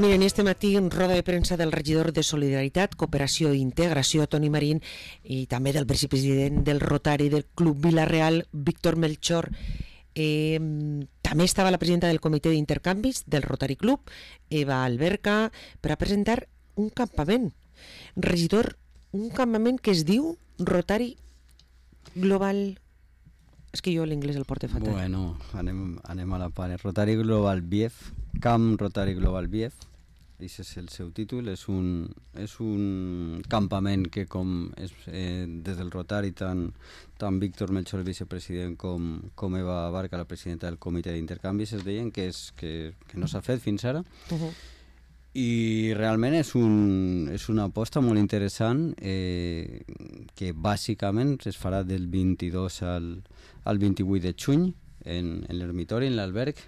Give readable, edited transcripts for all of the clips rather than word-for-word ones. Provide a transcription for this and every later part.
Miren, este matí en roda de premsa del regidor de Solidaritat, Cooperació i Integració, Toni Marín, i també del vicepresident del Rotari del Club Vila-real, Víctor Melchor. També estava la presidenta del comitè d'intercanvis del Rotary Club, Eva Alberca, per a presentar un campament. Regidor, un campament que es diu Rotary Global... És que jo l'inglès el porto fatal. Bueno, anem a la part. Rotary Global Bief, Camp Rotary Global Bief, aquest és el seu títol. És un campament que des del Rotary, tant Víctor Melchor, el vicepresident, com Eva Barca, la presidenta del comitè d'intercanvis, es deien que no s'ha fet fins ara. I realment és una aposta molt interessant que bàsicament es farà del 22 al 28 de juny en l'ermitori, en l'alberg,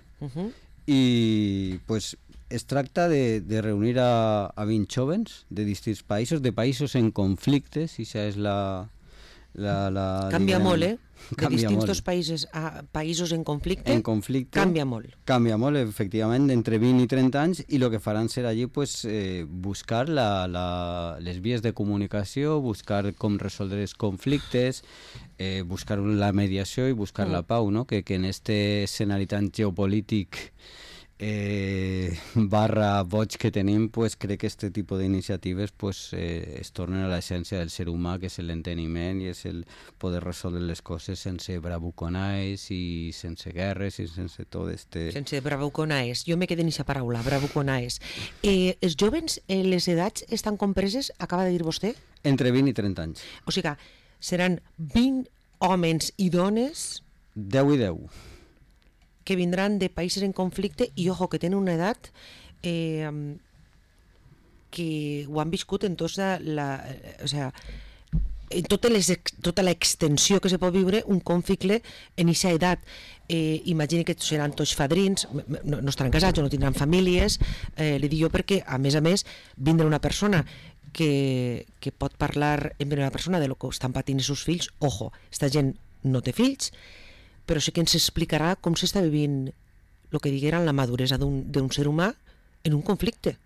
i pues, es tracta de reunir a 20 jóvens de distints països, de països en conflictes, i això és la canvia molt, de distints països a països en conflicte, canvia molt. Canvia molt, efectivament, d'entre 20 i 30 anys, i el que faran serà allí pues, buscar les vies de comunicació, buscar com resoldre els conflictes, buscar la mediació i buscar la pau, no? Que en este escenari tan geopolític barra boig que tenim, pues, crec que aquest tipus d'iniciatives pues, es tornen a l'essència del ser humà, que és l'enteniment i és el poder resoldre les coses sense bravuconais i sense guerres i sense tot este... Sense bravuconais, jo me quedé en aquesta paraula, bravuconais. Els jóvens, les edats estan compreses, acaba de dir vostè? Entre 20 i 30 anys. O sigui, seran 20 homes i dones... 10 i 10. Que vindran de països en conflicte i, ojo, que tenen una edat que ho han viscut en tota l'extensió que se pot viure un conflicte en aquesta edat. Imagini que seran tots fadrins, no estaran casats o no tindran famílies, li dic jo perquè, a més, vindrà una persona que pot parlar en primera persona de lo que estan patint els seus fills. Ojo, esta gent no té fills, però sí que ens explicarà com s'està vivint el que digueren la maduresa d'un ser humà en un conflicte.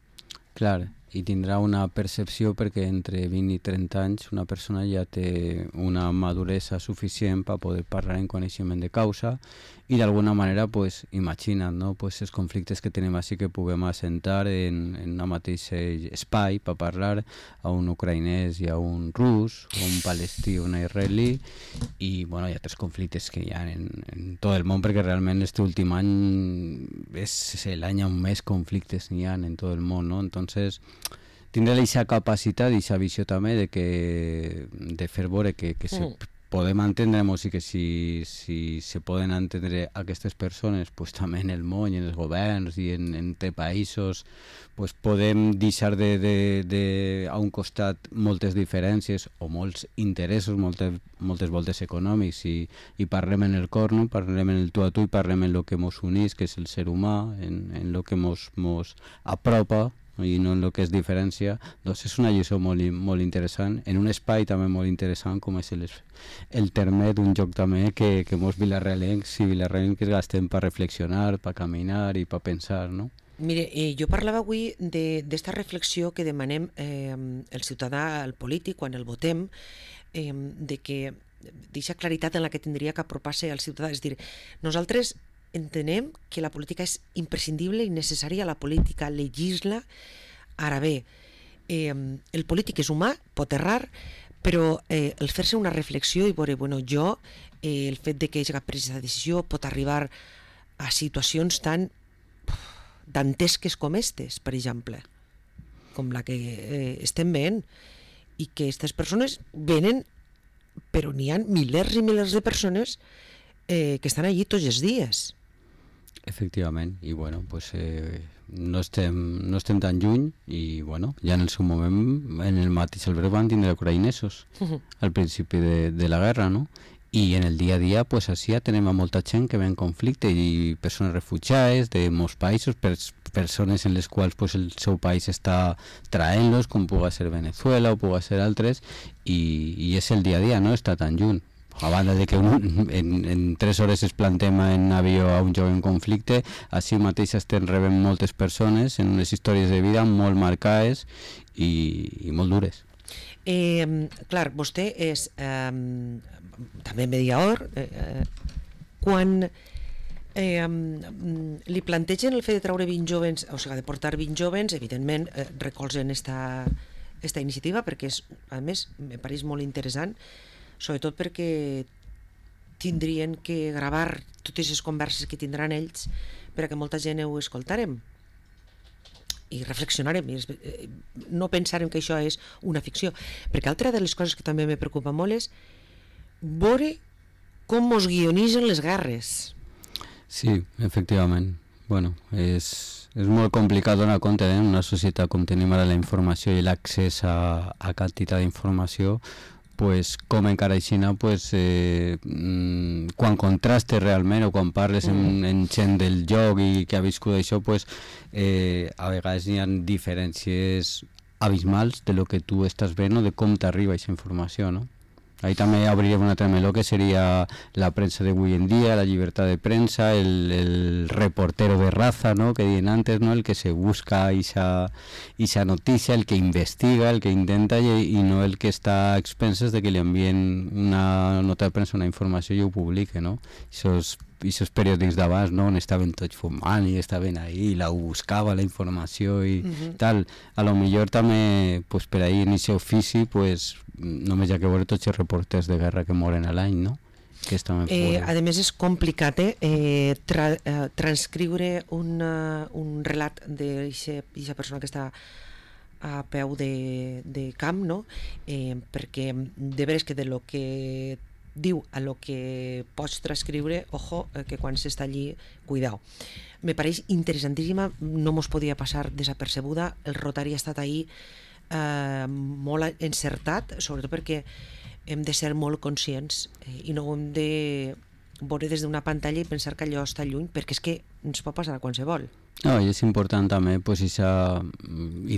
Clar, i tindrà una percepció perquè entre 20 i 30 anys una persona ja té una maduresa suficient per poder parlar en coneixement de causa i d'alguna manera, pues, imagina't, no? Pues, els conflictes que tenim així que puguem assentar en un mateix espai per parlar a un ucraïnès i a un rus, o un palestí o un israelí, i bueno, hi ha altres conflictes que hi ha en tot el món, perquè realment aquest últim any és l'any on més conflictes n'hi ha en tot el món, no? Entonces tindrà aquesta capacitat i aquesta visió també de fer veure que podem entendre-nos i que si se poden entendre aquestes persones pues, també en el món i en els governs i entre països pues, podem deixar a un costat moltes diferències o molts interessos, moltes voltes econòmics i parlem en el cor, no? Parlem en el tu a tu i parlem en el que ens unís, que és el ser humà, en el que ens apropa i no en el que es diferència. Doncs és una lliçó molt interessant, en un espai també molt interessant com és el terme d'un joc també que molts vilarrealencs i vilarrealenques gastem per reflexionar, per caminar i per pensar, no? Mire, jo parlava avui d'esta reflexió que demanem el ciutadà al polític quan el votem, de que d'aquesta claritat en la que tindria que apropar-se al ciutadà. És a dir, nosaltres entenem que la política és imprescindible i necessària, la política legisla. Ara bé, el polític és humà, pot errar, però el fer-se una reflexió i veure, bueno, el fet de que hagi pres aquesta decisió pot arribar a situacions tan dantesques com aquestes, per exemple, com la que estem veient, i que aquestes persones venen, però n'hi ha milers i milers de persones que estan allí tots els dies. Efectivament, i bueno, pues, no estem tan lluny i bueno, ja en el seu moment en el mateix alberg van tindre ucraïnesos al principi de la guerra, no? I en el dia a dia, pues, així ja tenim a molta gent que ve en conflicte i persones refugiades de molts països, persones en les quals pues, el seu país està traient-los, com pugui ser Venezuela o pugui ser altres, i és el dia a dia, no està tan lluny. A banda de que en 3 hores es plantem en avió a un jove en conflicte, així mateix estem rebent moltes persones en unes històries de vida molt marcades i molt dures. Clar, vostè és també mediador. Quan li plantegen el fet de treure 20 jovens, o sigui, de portar 20 jovens, evidentment recolzen esta iniciativa, perquè a més me pareix molt interessant, sobretot perquè tindrien que gravar totes les converses que tindran ells perquè molta gent ho escoltarem i reflexionarem, no pensarem que això és una ficció, perquè altra de les coses que també me preocupa molt és veure com mos guionitzen les guerres. Sí, efectivament. Bueno, és molt complicat donar compte en una societat com tenim ara la informació i l'accés a quantitat d'informació, pues, com encara aixina, pues, quan contrastes realment o quan parles en gent del joc i que ha viscut això, pues, a vegades hi ha diferències abismals de lo que tu estàs veient o de com t'arriba aquesta informació, no? Ahí també obrirem un altre meló que seria la premsa d'avui en dia, la llibertat de premsa, el reportero de raza, ¿no?, que diuen antes, ¿no?, el que se busca esa noticia, el que investiga, el que intenta i no el que està a expenses de que li envien una nota de premsa, una informació i ho publique, no? Esos periòdics d'abans, no?, on estaven tots fumant i estaven ahí, la buscava la informació i tal. A lo millor també, pues, per ahí en aquest ofici, pues, només hi ha que veure tots els reporters de guerra que moren a l'any, no? Que a més és complicat transcriure un relat d'aquesta persona que està a peu de camp, no? Perquè de veres que de lo que diu a lo que pots transcriure, ojo, que quan s'està allí, cuidao. Me pareix interessantíssima, no mos podia passar desapercebuda, el Rotary ha estat ahí molt encertat, sobretot perquè hem de ser molt conscients i no hem de veure des d'una pantalla i pensar que allò està lluny, perquè és que ens pot passar a qualsevol. No, i és important també, pues, i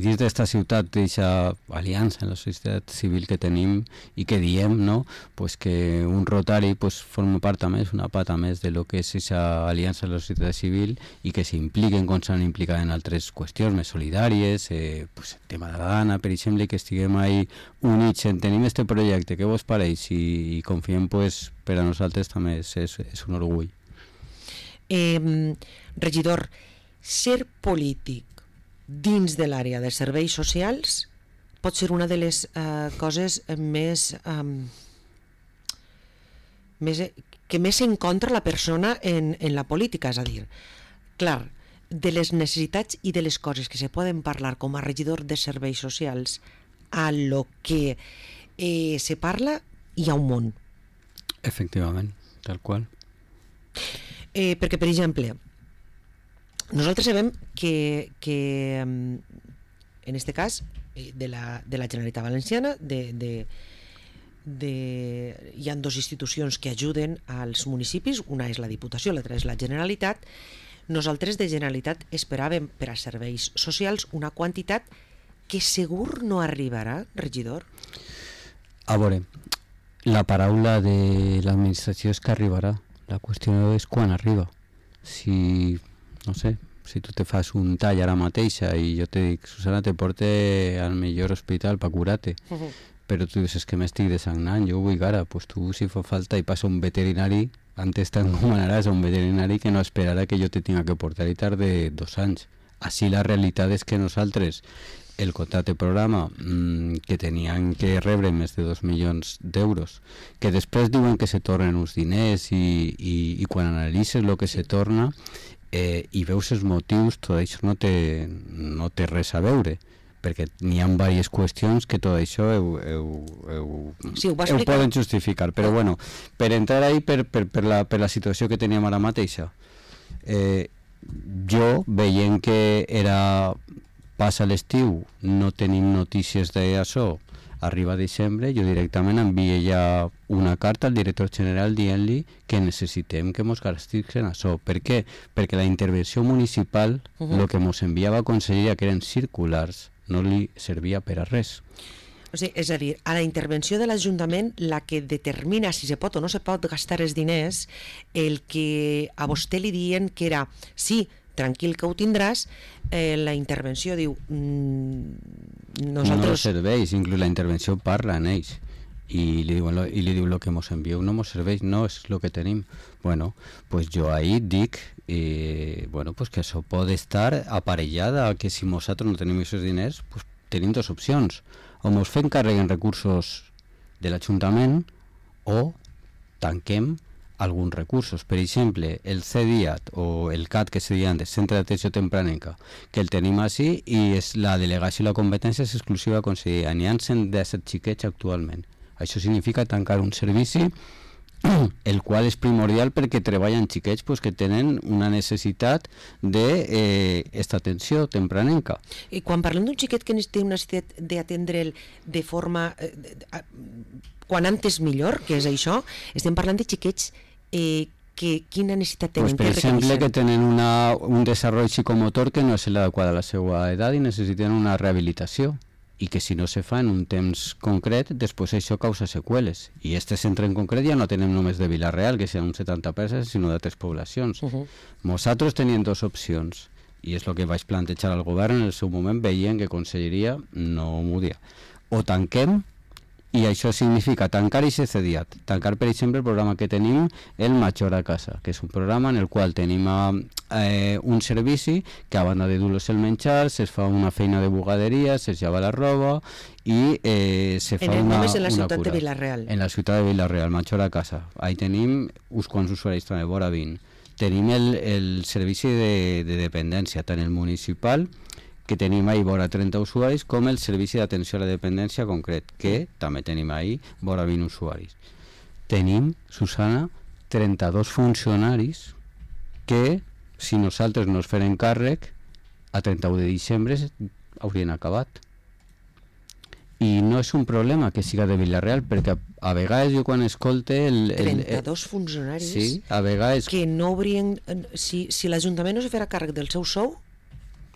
dins d'esta ciutat, d'aquesta aliança en la societat civil que tenim i que diem, no?, pues, que un Rotary, pues, forma part també, és una pata més de lo que és aquesta aliança en la societat civil i que s'impliquen com s'han implicat en altres qüestions més solidàries, pues, el tema de la dana, per exemple, que estiguem ahí units en tenim este projecte, què vos pareix? I confiem, pues, per a nosaltres també és un orgull. Regidor, ser polític dins de l'àrea de serveis socials pot ser una de les coses que més s'encontra la persona en la política, és a dir, clar, de les necessitats i de les coses que se poden parlar com a regidor de serveis socials a lo que se parla hi ha un món. Efectivament, tal qual. Perquè, per exemple, nosaltres sabem que en este cas de la Generalitat Valenciana hi ha dues institucions que ajuden als municipis, una és la Diputació, l'altra és la Generalitat. Nosaltres de Generalitat esperàvem per a serveis socials una quantitat que segur no arribarà, regidor. A veure, la paraula de l'administració és que arribarà. La qüestió és quan arriba. Si, no sé, si tu te fas un tall ara mateixa i jo te dic, Susana, te porte al millor hospital per curar-te, però tu dius, és que m'estic desagnant, jo ho vull ara, pues tu, si fa falta, i passa un veterinari, antes t'encomanaràs a un veterinari que no esperarà que jo te tinga que portar i tarde 2 anys. Així la realitat és que nosaltres el contracte programa que tenien que rebre més de 2 milions d'euros, que després diuen que se tornen uns diners i quan analitzes el que se torna i veus els motius, tot això no té res a veure, perquè n'hi ha diverses qüestions que tot això ho poden justificar, però bueno, per entrar ahí per la situació que teníem ara mateixa, jo veient que passa l'estiu, no tenim notícies d'això, arriba desembre, jo directament envio ja una carta al director general dient-li que necessitem que mos garanteixin això. Per què? Perquè la intervenció municipal, el que mos enviava a conselleria, que eren circulars, no li servia per a res. O sigui, és a dir, a la intervenció de l'Ajuntament, la que determina si se pot o no se pot gastar els diners, el que a vostè li diuen que era, sí, tranquil que ho tindràs, la intervenció diu, nosaltres... No serveix, inclús la intervenció parla en ells i li diu lo que mos envieu no mos serveix, no és lo que tenim. Bueno, pues jo ahí dic bueno, pues que això pot estar aparellada, que si nosaltres no tenim aquests diners, pues tenim dues opcions, o mos fem càrrec en recursos de l'Ajuntament o tanquem alguns recursos. Per exemple, el CDIAT o el CAT que se deia antes, Centre d'Atenció Tempranenca, que el tenim així i és la delegació i la competència és exclusiva a conselleria. N'hi ha 117 xiquets actualment. Això significa tancar un servici el qual és primordial perquè treballen xiquets pues, que tenen una necessitat d'esta atenció tempranenca. I quan parlem d'un xiquet que té una necessitat d'atendre'l de forma... quan antes millor, que és això, estem parlant de xiquets quina necessitat tenen? Pues, per exemple, que tenen un desenvolupament psicomotor que no és l'adequat a la seva edat i necessiten una rehabilitació, i que si no se fa en un temps concret, després això causa seqüeles. I este centre en concret ja no tenem només de Vila-real, que seran un 70%, sinó d'altres poblacions. Nosaltres teníem dues opcions, i és el que vaig plantejar al govern en el seu moment, veient que Conselleria no m'ho dia. O tanquem, i això significa tancar i ser cediat. Tancar, per exemple, el programa que tenim, el Major a Casa, que és un programa en el qual tenim un servici que a banda de dur-los el menjar, se fa una feina de bugaderia, se llava la roba i se fa una cura. En la ciutat de Vila-real. En la ciutat de Vila-real, Major a Casa. Ahí tenim uns quants usuaris també, vora 20. Tenim el servici de dependència, tant el municipal, que tenim ahí vora 30 usuaris, com el servici d'atenció a la dependència concret, que també tenim ahí vora 20 usuaris. Tenim, Susana, 32 funcionaris que, si nosaltres no es feren càrrec, a 31 de desembre haurien acabat. I no és un problema que siga de Vila-real, perquè a vegades jo quan escolte... 32 funcionaris sí, a vegades... que no haurien... Si l'Ajuntament no se farà càrrec del seu sou...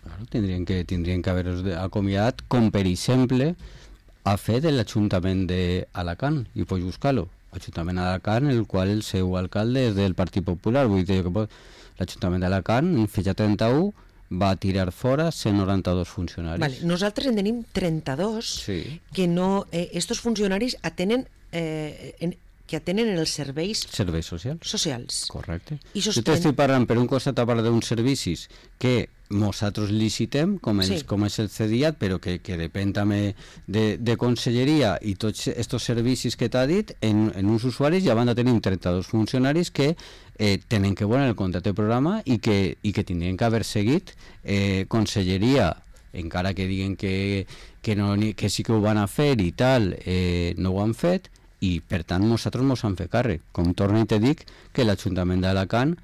Claro, tindrien que haver-los acomiadat, com per exemple ha fet l'Ajuntament d'Alacant, i pots buscar-lo. L'Ajuntament d'Alacant, el qual el seu alcalde és del Partit Popular. Vull dir que l'Ajuntament d'Alacant, en fetge 31, va tirar fora 192 funcionaris. Vale, nosaltres en tenim 32 sí. Que no... estos funcionaris atenen... que atenen els serveis socials. Correcte. Jo t'estic parlant, per un costat, a part d'uns servicis que nosaltres licitem, com és el CDIAT, però que depèn també de Conselleria, i tots aquests servicis que t'ha dit en uns usuaris, i a banda tenim 32 funcionaris que tenen que veure el contracte de programa i que tindrien que haver seguit Conselleria, encara que diguen que sí que ho van a fer i tal, no ho han fet, i per tant nosaltres mos han fet càrrec. Com torno i te dic que l'Ajuntament d'Alacant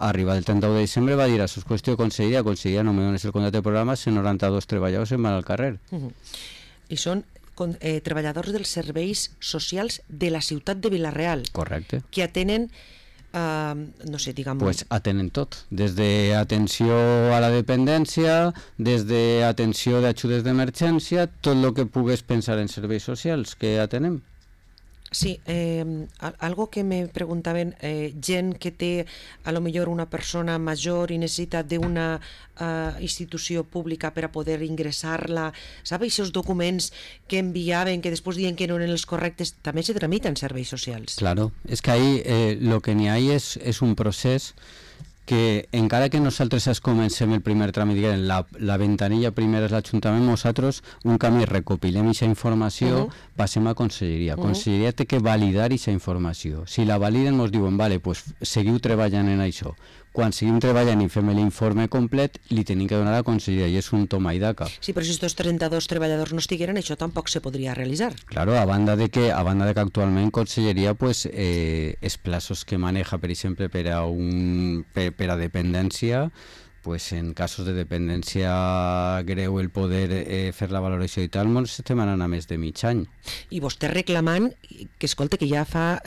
arriba el 31 de desembre va dir això és qüestió de Conselleria, no me dones el contracte de programa, 192 treballadors se'n van al carrer. I són treballadors dels serveis socials de la ciutat de Vila-real. Correcte. Que atenen no sé, diguem... Pues atenen tot, des d'atenció a la dependència, des d'atenció d'ajudes d'emergència, tot el que pugues pensar en serveis socials que atenem. Sí, algo que me preguntaven, gent que té a lo millor una persona major i necessita d'una institució pública per a poder ingressar-la, sabeu, aquests documents que enviaven, que després diuen que no eren els correctes, també se tramiten serveis socials. Claro, és que ahí lo que n'hi ha és un procés que encara que nosaltres comencem el primer tràmit, la ventanilla primera és l'Ajuntament, nosaltres un camí recopilem aquesta informació, passem a Conselleria. Conselleria té que validar aquesta informació. Si la validen ens diuen, vale, pues seguiu treballant en això. Quan seguim treballant i fem l'informe complet, li tenim que donar a la Conselleria, i és un toma i daca. Sí, però si aquests 32 treballadors no estigueren, això tampoc se podria realitzar. Claro, a banda de que actualment Conselleria, pues, els plaços que maneja, per exemple, per a dependència, pues en casos de dependència greu el poder fer la valoració i tal, ens estem anant a més de mig any. I vostè reclamant que, escolta, que ja fa...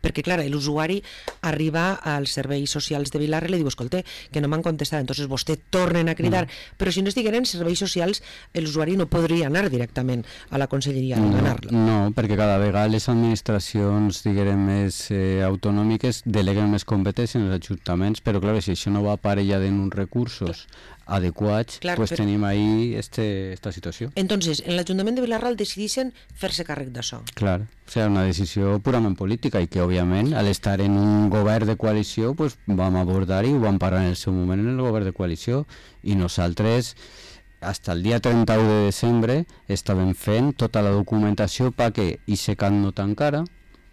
perquè, clar, l'usuari arriba als serveis socials de Vilar i li diu, escolta, que no m'han contestat. Entonces vostè tornen a cridar. Però si no estigueren serveis socials, l'usuari no podria anar directament a la conselleria a demanar-la. No, perquè cada vegada les administracions, diguem, més autonòmiques deleguen més competències en els ajuntaments, però, clar, si això no va aparellat en uns recursos adequats, pues tenim ahí esta situació. Entonces, en l'Ajuntament de Vilarral decideixen fer-se càrrec d'això. Clar, o sigui, una decisió purament política i que, òbviament, al estar en un govern de coalició, pues vam abordar i ho vam parlar en el seu moment en el govern de coalició i nosaltres, fins el dia 31 de desembre, estàvem fent tota la documentació perquè ISECAT no tancara,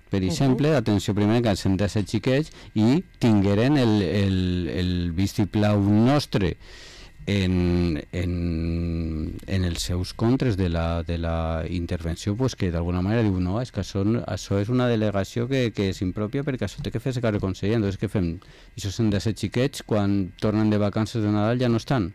per exemple, atenció primera que s'han de ser xiquets i tingueren el vistiplau nostre en els seus contres de la intervenció, pues, que d'alguna manera diu no, és que això és una delegació que és impròpia perquè això té que fer-se càrrec conseller. Entonces què fem? Això s'han de ser xiquets quan tornen de vacances de Nadal ja no estan.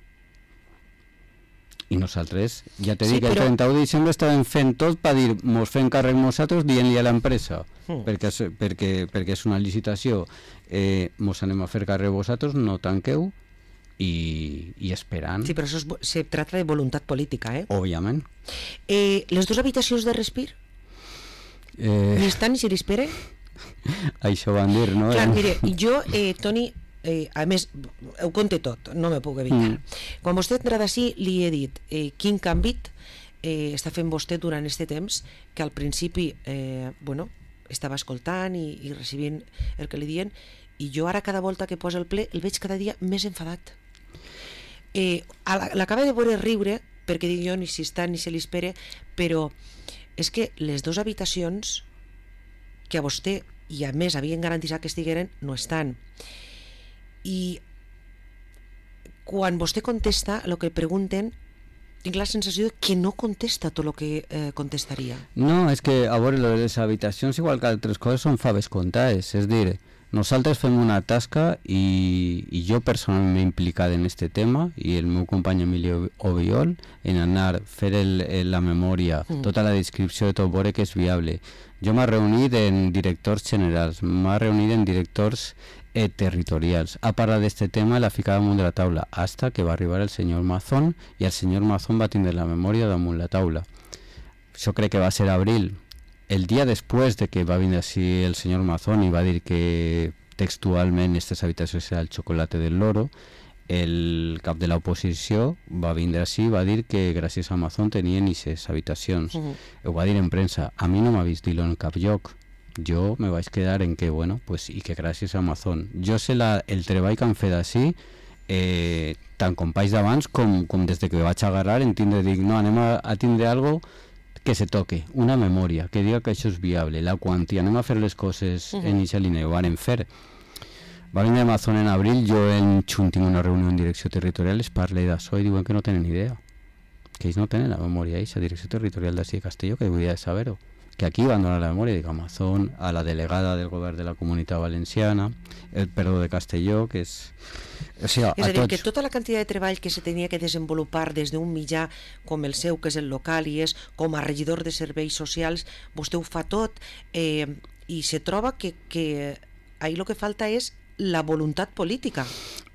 I nosaltres, ja t'he dit que el 31 de diciembre estàvem fent tot per dir, mos fem càrrec nosaltres dient-li a l'empresa, perquè és una licitació, mos anem a fer càrrec vosaltres, no tanqueu, i esperant. Sí, però això se trata de voluntat política, eh? Òbviament. Les dues habitacions de respir? Ni estan ni se l'espera? Això van dir, no? Clar, mire, jo, Toni, a més, ho conté tot, no me puc evitar. Quan vostè entra d'ací, li he dit quin canvi està fent vostè durant aquest temps, que al principi estava escoltant i recibint el que li diuen, i jo ara cada volta que posa el ple el veig cada dia més enfadat. L'acaba de veure riure, perquè dic jo ni si està ni se li espera, però és que les dues habitacions que a vostè i a més havien garantit que estigueren no estan. I quan vostè contesta el que pregunten, tinc la sensació que no contesta tot el que contestaria. No, és que a veure, les habitacions igual que altres coses són faves comptades, és dir, nosaltres fem una tasca i jo personalment m'he implicat en aquest tema i el meu company Emilio Obiol en anar a fer la memòria, tota la descripció de tot, veure que és viable. Jo m'he reunit en directors generals, m'he reunit en directors territorials. Ha parlat d'aquest tema i l'ha ficat damunt de la taula, hasta que va arribar el senyor Mazón i el senyor Mazón va tindre la memòria damunt la taula. Això crec que va ser abril. El dia després de que va vindre així el senyor Mazón i va dir que textualment aquestes habitacions era el xocolate del loro, el cap de l'oposició va vindre així i va dir que gràcies a Mazón tenien aquestes habitacions. Ho va dir en premsa. A mi no m'ha vist dir-ho en cap lloc. Jo me vaig quedar en que, bueno, pues, i que gràcies a Amazon. Jo sé el treball que han fet així, tant companys d'abans com des de que vaig agarrar en tindre, dic, no, anem a tindre algo que se toque, una memòria, que diga que això és viable, la quantia, anem a fer les coses en aquesta línia, ho van fer. Va venir Amazon en abril, jo en juny tinc una reunió en direcció territorial, es parla d'això i diuen que no tenen idea, que ells no tenen la memòria, la direcció territorial d'ací de Castelló, que hauria de saber-ho. Que aquí van donar la memòria de Amazon a la delegada del govern de la Comunitat Valenciana, de Castelló, que és... O sigui, és a dir, que tota la quantitat de treball que se tenia que desenvolupar des d'un mitjà com el seu, que és el local, i és com a regidor de serveis socials, vostè ho fa tot, i se troba que ahí el que falta és la voluntat política.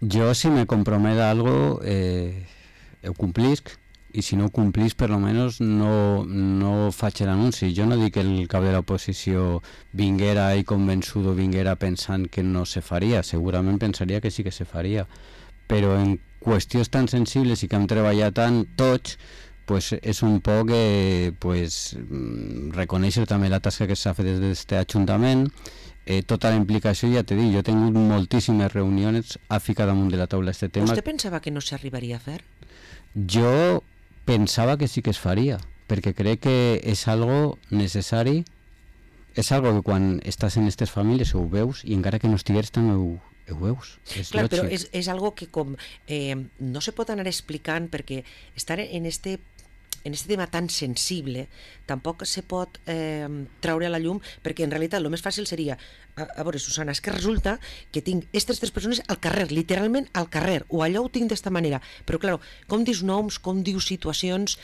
Jo, si me compromet a algo, ho complisc, i si no ho complís, per lo menos no faig l'anunci. Jo no dic que el cap de l'oposició vinguera i convençudo, vinguera pensant que no se faria, segurament pensaria que sí que se faria, però en qüestions tan sensibles i que hem treballat tant tots, pues és un poc reconèixer també la tasca que s'ha fet des d'aquest Ajuntament, tota la implicació, ja t'he dit, jo he tingut moltíssimes reunions a ficar damunt de la taula aquest tema. Vostè pensava que no s'arribaria a fer? Jo pensava que sí que es faria, perquè crec que és algo necessari, és algo que quan estàs en aquestes famílies ho veus i encara que no estigueres també ho veus. Clar, però és algo que com no se pot anar explicant perquè estar en este en aquest tema tan sensible tampoc se pot traure a la llum, perquè en realitat el més fàcil seria, a veure, Susana, és que resulta que tinc aquestes 3 persones al carrer, literalment al carrer, o allò ho tinc d'esta manera, però clar, com dius noms, com dius situacions,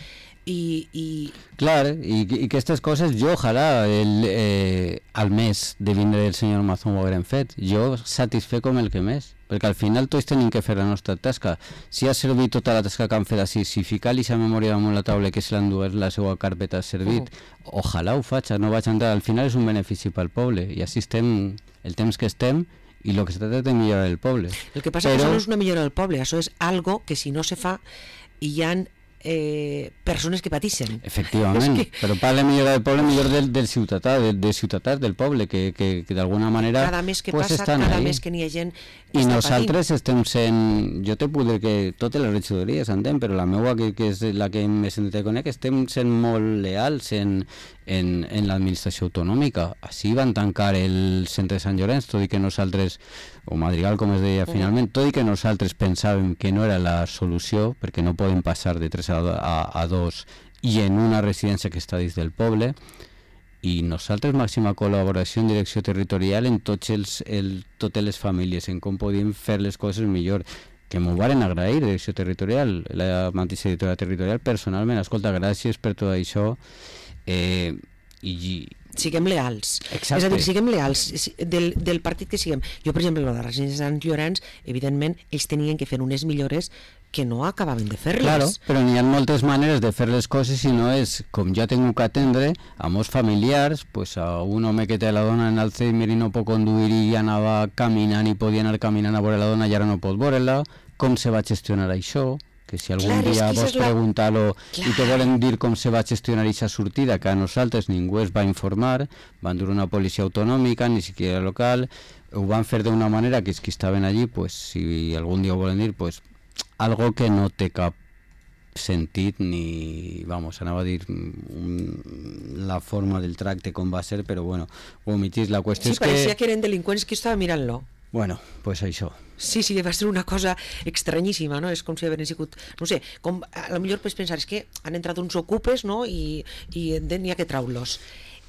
Clar, i aquestes coses jo ojalà al mes de vindre el senyor Mazón ho haguem fet, jo satisfet com el que més, perquè al final tots tenim que fer la nostra tasca. Si ha servit tota la tasca que han fet així, si ficar l'eixa memòria damunt la taula que se l'endugués la seva carpeta ha servit, ojalà ho faig, no vaig entrar, al final és un benefici pel poble, i així estem el temps que estem, i el que se trata de millorar el poble. El que passa és que això no és una millora del poble, això és algo que si no se fa hi ha persones que pateixen. Efectivament, però parla millor del poble, millor del ciutadà, dels ciutadans del poble, que d'alguna manera cada mes que pues passa, cada mes que n'hi ha gent que i està nosaltres estem sent, jo te puc dir que totes les regidories entenc, però la meva que és la que més en conec, estem sent molt leals en l'administració autonòmica. Així van tancar el centre de Sant Llorenç, tot i que nosaltres, o Madrigal com es deia finalment, tot i que nosaltres pensàvem que no era la solució, perquè no podem passar de 3 a 2 i en una residència que està dins del poble, i nosaltres màxima col·laboració en direcció territorial en totes les famílies, en com podíem fer les coses millor, que m'ho varen agrair, direcció territorial, la mateixa directora territorial, personalment, escolta, gràcies per tot això, i siguem leals. Exacte. És a dir, siguem leals del partit que siguem. Jo, per exemple, la residència de Sant Llorenç, evidentment, ells tenien que fer unes millores que no acabaven de fer-les. Claro, però n'hi ha moltes maneres de fer les coses i no és, com ja tinc que atendre, a molts familiars, pues a un home que té la dona en Alzheimer i no pot conduir i anava caminant i podia anar caminant a veure la dona i ara no pot veure-la, com se va gestionar això, que si algun dia vols preguntar-lo i te volen dir com se va gestionar aquesta sortida, que a nosaltres ningú es va informar, van dur una policia autonòmica, ni siquiera local, ho van fer d'una manera que els que estaven allí, pues, si algun dia ho volen dir, pues, algo que no té cap sentit ni, vamos, anava a dir la forma del tracte com va ser, però bueno, ho omitís. La qüestió és que... Sí, pareixia que eren delinqüents que estava mirant-lo. Bueno, pues això. Sí, va ser una cosa estranyíssima, no? És com si haguessin sigut, no sé, com a lo millor pots pensar, és que han entrat uns ocupes, no?, i n'hi ha que traure-los.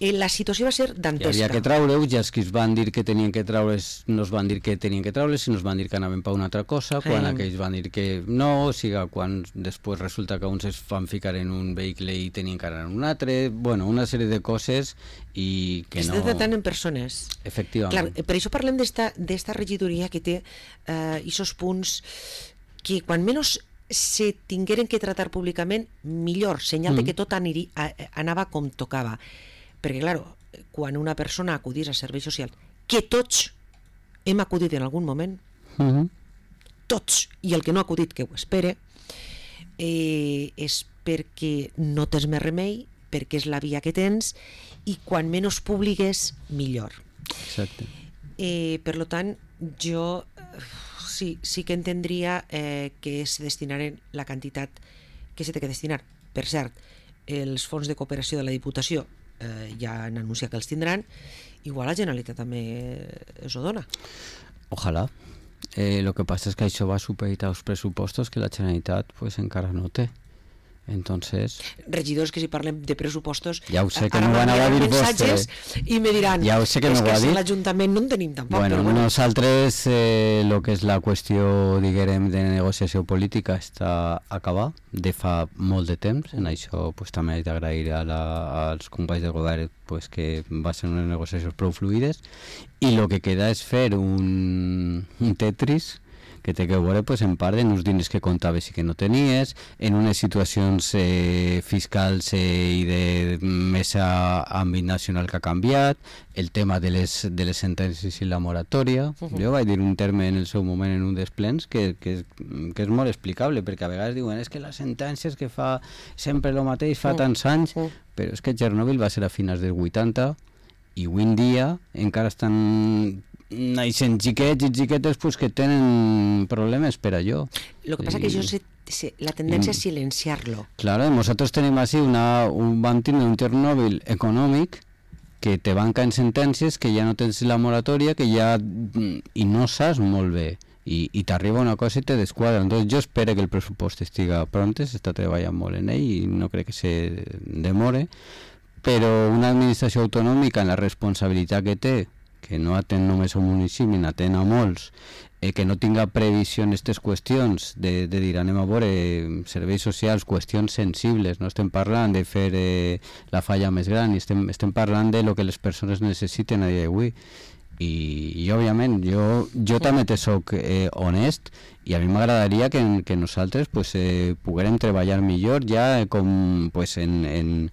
La situació va ser dantesca. Hi havia que traure-ho, ja els que es van dir que tenien que traure's no es van dir que tenien que traure's, sinó es van dir que anaven per una altra cosa, quan aquells van dir que no, o sigui, quan després resulta que uns es van ficar en un vehicle i tenien que anar en un altre, bueno, una sèrie de coses i que no... Estem tratant en persones. Efectivament. Clar, per això parlem d'esta regidoria que té aquests punts que quan menys se tingueren que tratar públicament, millor, senyal de que tot anava com tocava. Perquè, clar, quan una persona acudís a serveis socials, que tots hem acudit en algun moment, tots, i el que no ha acudit que ho espere, és perquè no tens més remei, perquè és la via que tens, i quan menys públiques, millor. Exacte. Per tant, jo sí que entendria que se destinaren la quantitat que s'ha de destinar. Per cert, els fons de cooperació de la Diputació ja han anunciat que els tindran, igual la Generalitat també es ho dona. Ojalà. Lo que passa és que això va supeditar als pressupostos que la Generalitat pues, encara no té. Entonces... Regidors que si parlem de pressupostos ja ho sé que m'ho van a dir vostès i me diran, ja ho sé que és que si l'Ajuntament no en tenim tampoc. Bueno, nosaltres el que és la qüestió, diguem, de negociació política està acabar de fa molt de temps. En això pues, també he d'agrair als companys del govern pues, que va ser unes negociacions prou fluides i el que queda és fer un Tetris que té que veure pues, en part en uns diners que comptaves i que no tenies, en unes situacions fiscals i de més àmbit nacional que ha canviat, el tema de les sentències i la moratòria. Jo vaig dir un terme en el seu moment en un dels plens que és molt explicable, perquè a vegades diuen és que les sentències que fa sempre el mateix, fa tants anys, però és que Chernobyl va ser a finals dels 80 i avui en dia encara estan naixen xiquets i xiquetes pues, que tenen problemes per allò. El que passa que la tendència és silenciar-lo. Claro, nosaltres tenim així vam tindre un Chernobyl econòmic que te van caent sentències, que ja no tens la moratòria, que ja i no saps molt bé i t'arriba una cosa i te desquadra. Entonces jo espero que el pressupost estiga pronte, s'està treballant molt en ell i no crec que se demore, però una administració autonòmica en la responsabilitat que té, que no atén només a un municipi, n'atén a molts, que no tinga previsió en aquestes qüestions de dir anem a veure serveis socials, qüestions sensibles, no estem parlant de fer la falla més gran, estem parlant de lo que les persones necessiten a dia d'avui. I òbviament jo també te soc honest i a mi m'agradaria que nosaltres pues, poguérem treballar millor ja com pues, en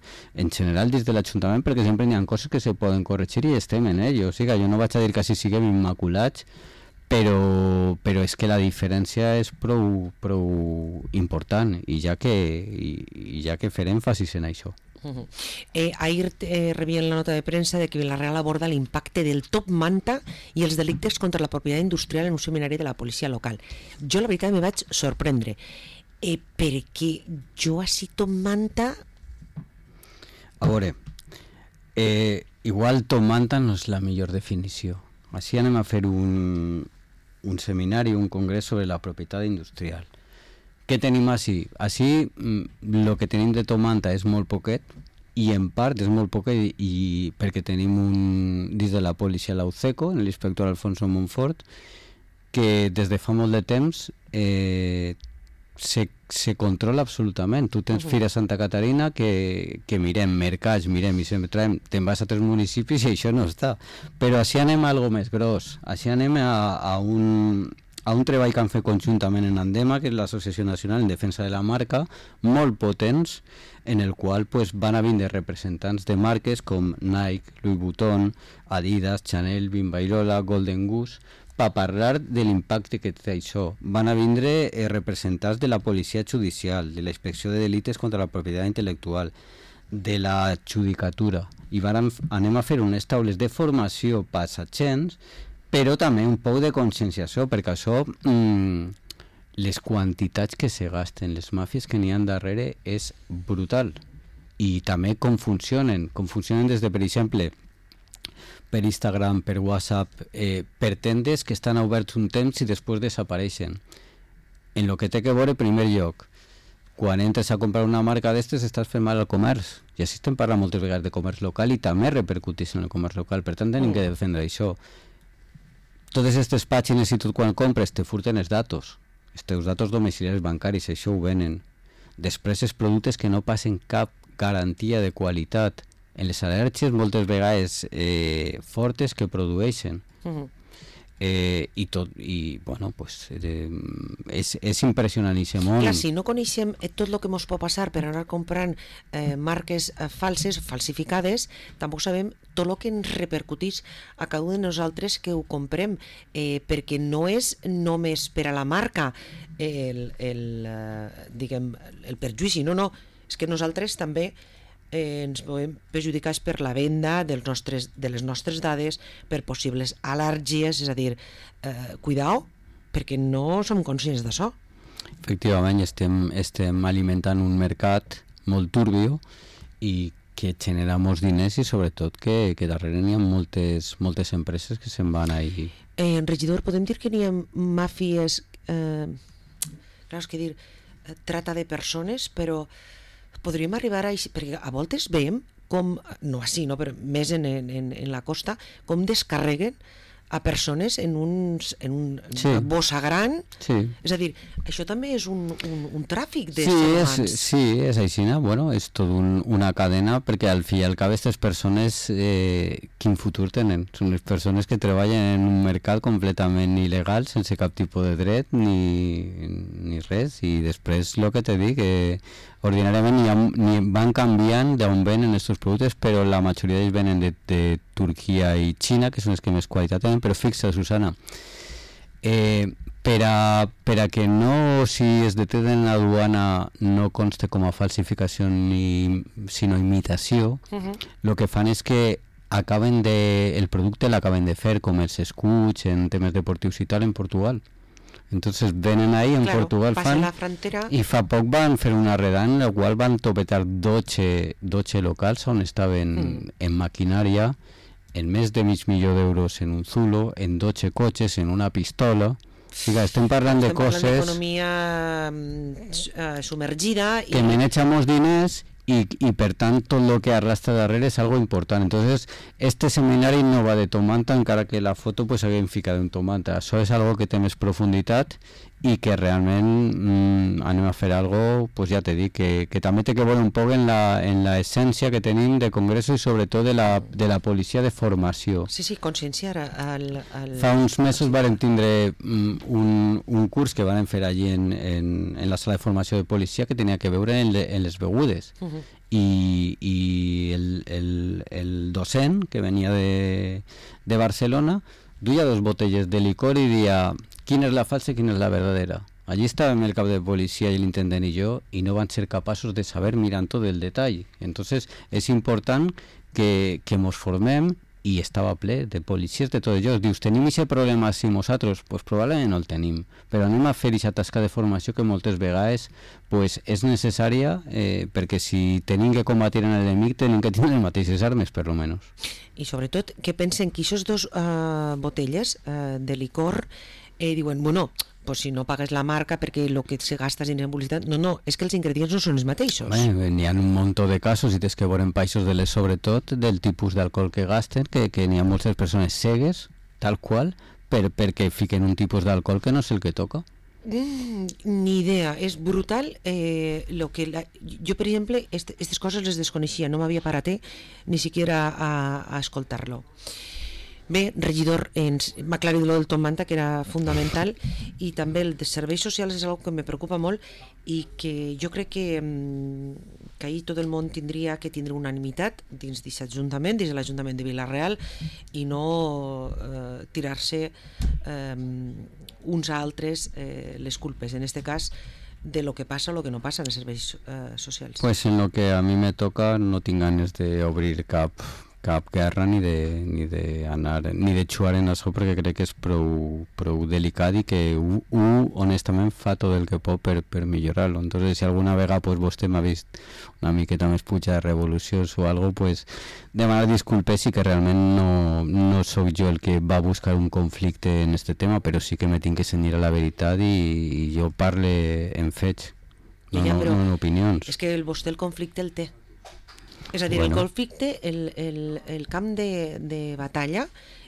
general dins de l'Ajuntament, perquè sempre hi ha coses que se poden corregir i estem en ello. O sigui, jo no vaig a dir que així siguem immaculats, però és que la diferència és prou important i ja que fer èmfasis en això. Ahir rebien la nota de premsa de que Vila-real aborda l'impacte del top manta i els delictes contra la propietat industrial en un seminari de la policia local. Jo la veritat me vaig sorprendre perquè jo així top manta... A veure, igual top manta no és la millor definició. Així anem a fer un seminari, un congrés sobre la propietat industrial. Què tenim així? Així el que tenim de Tomanta és molt poquet i en part és molt poquet i perquè tenim dins de la policia l'Auceco, l'inspector Alfonso Montfort, que des de fa molt de temps se controla absolutament. Tu tens Fira Santa Caterina que mirem, mercats, mirem i sempre traiem, te'n vas a 3 municipis i això no està. Però així anem a algo més gros, així anem a un treball que han fet conjuntament en Andema, que és l'Associació Nacional en Defensa de la Marca, molt potents, en el qual pues, van a vindre representants de marques com Nike, Louis Vuitton, Adidas, Chanel, Bimbairora, Golden Goose, per parlar de l'impacte que té això. Van a vindre representants de la policia judicial, de la inspecció de delites contra la propietat intel·lectual, de la judicatura, i anem a fer unes taules de formació per als agents, però també un poc de conscienciació, perquè això, les quantitats que se gasten, les màfies que n'hi ha darrere, és brutal. I també com funcionen des de, per exemple, per Instagram, per WhatsApp, per tendes que estan oberts un temps i després desapareixen. En lo que té que veure, en primer lloc, quan entres a comprar una marca d'estes estàs fent mal al comerç, i així estem parlant moltes vegades de comerç local i també repercuteix en el comerç local, per tant tenim que defendre això. Totes aquestes pàgines i tot quan compres te furten els datos, els teus datos domiciliaris bancaris, això ho venen. Després els productes que no passen cap garantia de qualitat, en les al·lèrgies moltes vegades fortes que produeixen. I bueno, pues, és impressionant i món. Clar, si no coneixem tot el que ens pot passar per anar comprant marques falses, falsificades, tampoc sabem tot el que ens repercuteix a cada un de nosaltres que ho comprem, perquè no és només per a la marca diguem, el perjudici, no, és que nosaltres també ens podem perjudicar per la venda de les nostres dades, per possibles al·lèrgies, és a dir, cuidao, perquè no som conscients d'això. Efectivament, estem alimentant un mercat molt turbio i que genera molts diners i sobretot que darrere n'hi ha moltes empreses que se'n van ahí. Regidor, podem dir que n'hi ha màfies, clar, és que dir, trata de persones, però podríem arribar a... perquè a voltes veiem com, no així, no, però més en la costa, com descarreguen a persones en una bossa gran. Sí. És a dir, això també és un tràfic de humans. Sí, és així, bueno, és tot una cadena, perquè al fi i al cap aquestes persones quin futur tenen? Són les persones que treballen en un mercat completament il·legal, sense cap tipus de dret ni res, i després el que te dic, ordinàriament van canviant d'on venen aquests productes, però la majoria d'ells venen de Turquia i Xina, que són els que més qualitat tenen. Però fixa, Susana, per a que no, si es detecten en la duana, no conste com a falsificació sinó imitació, el que fan és que el producte l'acaben de fer, com els escuts en temes deportius i tal, en Portugal. Entonces venen ahí en Portugal i fa poc van fer una redada en la qual van topetar 12 locals on estaven en maquinària, en més de $500,000 en un Zulo, en 12 cotxes, en una pistola, Sí, estem parlant de coses... d'economia submergida... Que maneja molts diners y per tant tot el que arrastra darrere és algo important. Entonces, este seminari no va de tomanta, encara que la foto pues haguem ficat un tomanta. Això és algo que té més profunditat i que realment anem a fer algo, pues ja t'he dit, que també té que veure un poc en la essència que tenim de congreso i sobretot de la policia de formació. Sí, conscienciar Fa uns mesos vàrem tindre un curs que vàrem fer allí en la sala de formació de policia que tenia que veure en les begudes. I el docent que venia de Barcelona duia 2 botelles de licor i dia quina és la falsa i quina és la verdadera. Allí estàvem el cap de policia i l'intendent i jo i no van ser capaços de saber mirant tot el detall. Entonces és important que mos formem i estava ple de policies de tots ells. Dius, tenim aquest problema si nosaltres? Pues probablement no el tenim, però anem a fer aquesta tasca de formació que moltes vegades pues, és necessària perquè si tenim que combatir en l'enemic tenim que tenir les mateixes armes, per lo menos. I sobretot que pensen que aquestes 2 botelles de licor diuen, bueno, pues si no pagues la marca perquè el que se gasta en publicitat... No, és que els ingredients no són els mateixos. N'hi ha un munt de casos i tens que veure en països de les, sobretot del tipus d'alcohol que gasten, que n'hi ha moltes persones cegues, tal qual, perquè fiquen un tipus d'alcohol que no és el que toca. Ni idea, és brutal jo per exemple aquestes coses les desconeixia, no m'havia parat ni siquiera a escoltar-lo. Bé, regidor, m'ha aclarit el del tomanta, que era fundamental, i també el de serveis socials és una cosa que me preocupa molt i que jo crec que ahir tot el món tindria que tindre unanimitat dins d'aquest ajuntament, dins de l'Ajuntament de Vila-real, i no tirar-se uns a altres les culpes, en aquest cas de lo que passa o lo que no passa en els serveis socials. Pues en lo que a mi me toca no tinc ganes d'obrir cap guerra ni de xuar en això perquè crec que és prou delicat i que honestament fa tot el que pot per millorar-lo. Entonces si alguna vegada pues, vostè m'ha vist una miqueta més puja de revolucions o algo, pues demanar disculpes i que realment no sóc jo el que va buscar un conflicte en este tema, però sí que me tinc que cenyir a la veritat i jo parle en fets, no en opinions. És que vostè el conflicte el té. És a dir, el conflicte, el camp de batalla,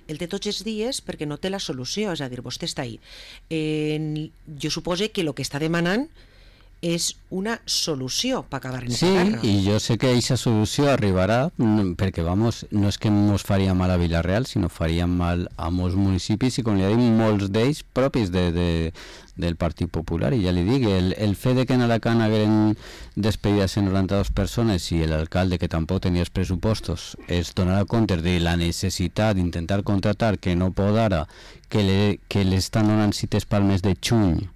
el té tots els dies perquè no té la solució, és a dir, vostè està ahí. Jo supose que el que està demanant és una solució per acabar en aquesta guerra. Sí, i jo sé que aquesta solució arribarà perquè, vamos, no és que ens faria mal a Vila-real, sinó faria mal a molts municipis i, com li dic, molts d'ells propis del Partit Popular. I ja li dic, el fet de que en Alacant hagueren despedides en 92 persones i l'alcalde, que tampoc tenia els pressupostos, es donarà compte de la necessitat d'intentar contratar, que no pot ara, que l'estan donant cites pel mes de juny,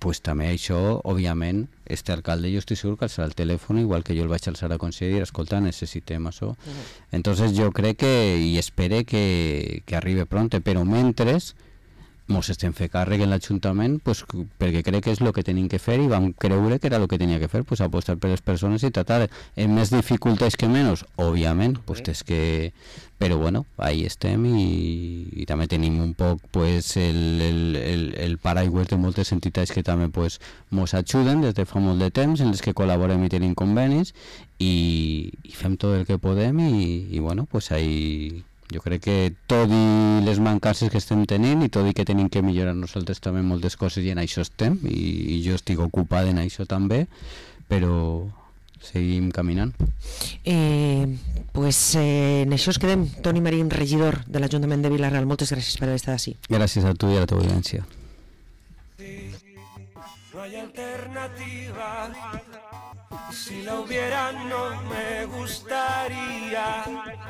pues també això, òbviament, este alcalde jo estic segur que alçarà el telèfon igual que jo el vaig alçar a conseller i dir, escolta, necessitem això. Entonces jo crec i espere que arribi pronte, però mentre mos estem fent càrrec en l'Ajuntament pues, perquè crec que és el que tenim que fer i vam creure que era el que tenia que fer, pues, apostar per les persones i tratar amb més dificultats que menys, òbviament, pues, però bueno, ahí estem i també tenim un poc pues, el paraigües de moltes entitats que també pues, mos ajuden des de fa molt de temps, en les que col·laborem i tenim convenis i fem tot el que podem i bueno, pues ahí jo crec que tot i les mancances que estem tenint i tot i que tenim que millorar nosaltres també moltes coses i en això estem i jo estic ocupat en això també, però seguim caminant. Pues en això es quedem. Toni Marín, regidor de l'Ajuntament de Vila-real, moltes gràcies per haver estat així. Gràcies a tu i a la teva audiència. No hay alternativa, si la hubiera no me gustaría.